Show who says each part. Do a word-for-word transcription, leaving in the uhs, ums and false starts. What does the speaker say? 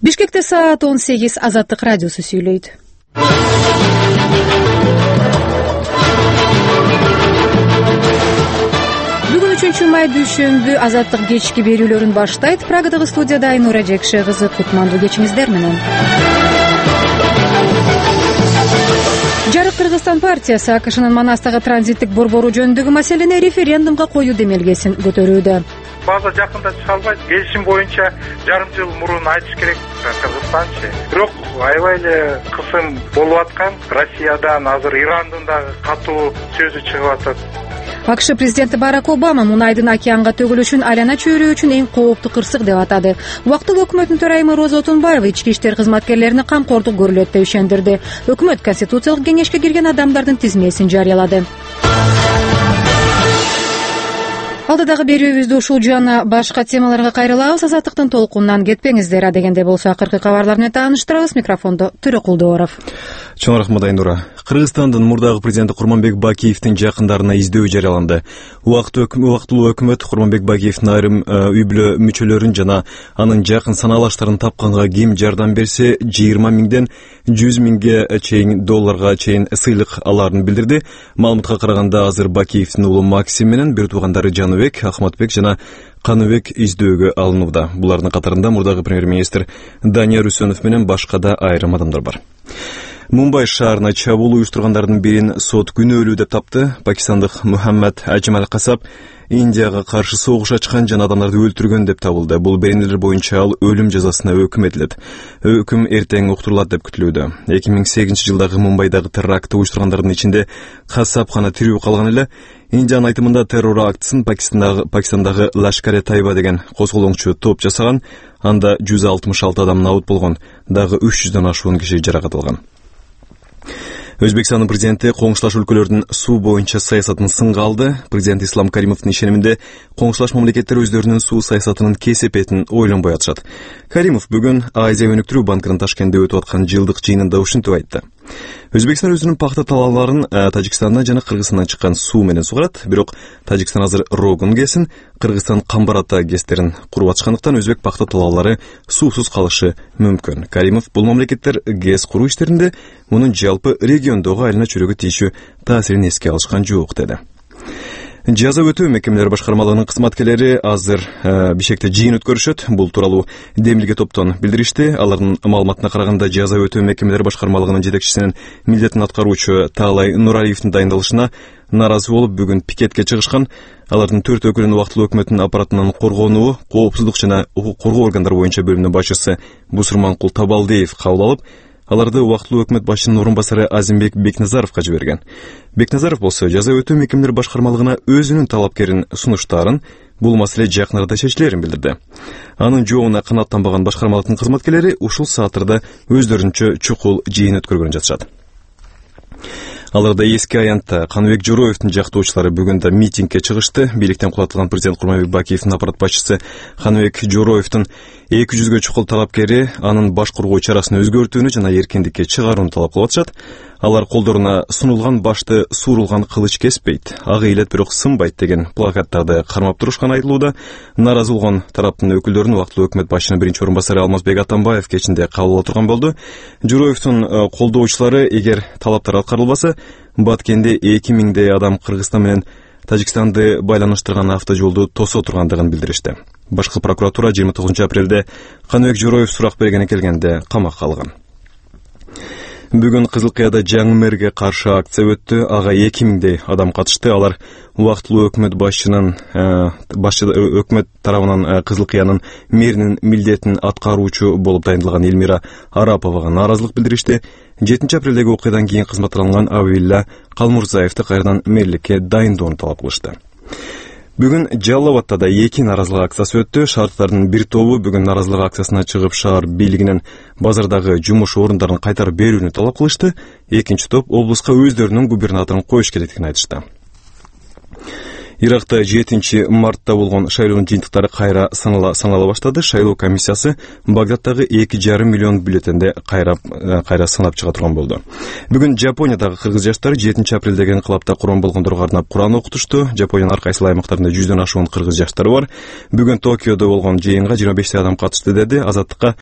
Speaker 1: Бишкекте саат он сегиз. Азаттык радиосу сүйлөйт. Бүгүн үчүнчү май дүйшөмбү. Азаттык кечки берүүлөрүн баштайт. Прагадагы студияда Айнура Жекше кызы. Кутмандуу кечиңиздер менен. Жарык Кыргызстан партиясы АКШнын Манастагы транзиттик борбору жөнүндөгү маселени референдумга коюу демилгесин көтөрүүдө.
Speaker 2: База жакында чыга албайт. Келишим боюнча жарым жыл мурун айтыш керек Кыргызстанчы. Бирок аябай эле кысым болуп аткан. Россиядан азыр Ирандын дагы катуу сөзү чыгып атат.
Speaker 1: АКШ президенти Барак Обама мунайдын океанга төгүлүшүн айлана чөйрө үчүн эң кооптуу кырсык деп атады. Убактылуу өкмөттүн төрайымы Роза Отунбаева ички иштер кызматкерлерине камкордук көрүлөт деп ишендирди. Өкмөт Конституциялык кеңешке кирген адамдардын тизмесин жарыялады. Алдыдагы берүүбүздү ушул жана башка темаларга кайрылабыз. Азаттыктын толкунунан кетпеңиздер. Адегенде болсо акыркы кабарлар менен тааныштырабыз. Микрофондо Төрөкулдуоров.
Speaker 3: Чоң рахмат, Айнура. Кыргызстандын мурдагы президенти Курманбек Бакиевдин жакындарына издөө жарыяланды. Убактылуу өкмөт Курманбек Бакиевдин айрым үй бүлө мүчөлөрүн жана анын жакын санаалаштарын тапканга ким жардам берсе жыйырма миңден жүз миңге чейин долларга чейин сыйлык алаарын билдирди. Маалыматка караганда азыр Бакиевдин уулу Максим менен бир туугандары Жаныбек, Ахматбек жана Каныбек издөөгө алынууда. Булардын катарында мурдагы премьер-министр Данияр Үсөнов менен башка да айрым адамдар бар. Мумбай шаарына чабуул уюштургандардын бирин сот күнөөлүү деп тапты. Пакистандык Мухаммад Аджмал Касап Индияга каршы согуш ачкан жана адамдарды өлтүргөн деп табылды. Бул беренелер боюнча ал өлүм жазасына өкүм этилет. Өкүм эртең уктурулат деп күтүлүүдө. эки миң сегизинчи жылдагы Мумбайдагы террактты уюштургандардын ичинде Касап гана тирүү калган эле. Индиянын айтымында террор актысын Пакистандагы Пакистандагы Лашкаре Тайба деген козголоңчу топ жасаган. Анда жүз алтымыш алты адам набыт болгон. Дагы үч жүздөн ашуун киши жаракат алган. Өзбекстандын президенти коңшулаш өлкөлөрдүн суу боюнча саясатын сынга алды. Президент Ислам Каримовдун ишениминде коңшулаш мамлекеттер өздөрүнүн суу саясатынын кесепетин ойлонбой атышат. Каримов бүгүн Азия өнүктүрүү банкынын Ташкентте өтүп аткан жылдык жыйынында ушинтип айтты. Өзбекстан өзүнүн пахта талааларын Тажикстандан жана Кыргызстандан чыккан суу менен сугарат. Бирок Тажикстан азыр Рогун ГЭСин, Кыргызстан Камбар-Ата ГЭСтерин куруп атышкандыктан өзбек пахта талаалары суусуз калышы мүмкүн. Каримов бул мамлекеттер ГЭС куруу иштеринде мунун жалпы региондогу айлана чөйрөгө тийишүү таасирин эске алышкан жок деди. Жаза өтөө мекемелери башкармалыгынын кызматкерлери азыр э, Бишкекте жыйын өткөрүшөт. Бул тууралуу Демилге топтон билдиришти. Алардын маалыматына караганда жаза өтөө мекемелери башкармалыгынын жетекчисинин милдетин аткаруучу Таалай Нуралиевдин дайындалышына нааразы болуп бүгүн пикетке чыгышкан. Алардын төрт өкүлүн убактылуу өкмөттүн аппаратынан коргонуу, коопсуздук жана укук коргоо органдары боюнча бөлүмүнүн башчысы Бусурманкул Табалдиев кабыл алып, аларды убактылуу өкмөт башчынын орун басары Азимбек Бекназаровго жиберген. Бекназаров болсо жаза өтөө мекемелери башкармалыгына өзүнүн талапкерин сунуштарын, бул маселе жакын арада чечилерин билдирди. Анын жообуна канааттанбаган башкармалыктын кызматкерлери ушул сааттарда өздөрүнчө чукул жыйын өткөргөн жатышат. Аларда эски аянтта Каныбек Жороевдин жактоочулары бүгүн да митингге чыгышты. Бийликтен кулатылган президент Курманбек Бакиевдин аппарат башчысы Каныбек Жороевдин эки жүзгө чукул талапкери анын баш коргоо чарасын өзгөртүүнү жана эркиндикке чыгарууну талап кылып атышат. Алар колдоруна сунулган башты суурулган кылыч кеспейт, ак ыйлет бирок сынбайт деген плакаттарды кармап турушканы айтылууда. Нааразы болгон тараптын өкүлдөрүн убактылуу өкмөт башчынын биринчи орун басары Алмазбек Атамбаев кечинде кабыл ала турган болду. Жороевдин колдоочулары эгер талаптар аткарылбаса, Баткенде эки миңдей адам Кыргызстан менен Тажикстанды байланыштырган автожолду тосо тургандыгын билдиришти. Башкы прокуратура жыйырма тогузунчу апрелде Каныбек Жороев сурак бергени келгенде камакка алган. Бүгүн Кызыл Кыяда жаңы мэрге каршы акция өттү. Ага эки миңдей адам катышты. Алар убактылуу өкмөт башчынын башчы өкмөт тарабынан Кызыл Кыянын мэринин милдетин аткаруучу болуп дайындалган Элмира Араповага нааразылык билдиришти. жетинчи апрелдеги окуядан кийин кызматтан алынган Абилла Калмурзаевди кайрадан мэрликке дайындоону талап кылышты. Бүгүн Жалал Абадта да эки нааразылык акциясы өттү. Шаардардын бир тобу бүгүн нааразылык акциясына чыгып шаар бийлигинен базардагы жумуш орундарын кайтарып берүүнү талап кылышты. Экинчи топ облуска өздөрүнүн губернаторун коюш керектигин айтышты. Иракта жетинчи мартта болгон шайлоонун жыйынтыктары кайра санала баштады. Шайлоо комиссиясы Багдадтагы эки жарым миллион бюллетенде кайра кайра санап чыга турган болду. Бүгүн Жапониядагы кыргыз жаштары жетинчи апрелдеги инкылапта курман болгондорго арнап Куран окутушту. Жапониянын ар кайсы аймактарында жүздөн ашуун кыргыз жаштары бар. Бүгүн Токиодо болгон жыйынга жыйырма бештей адам катышты, деди Азаттыкка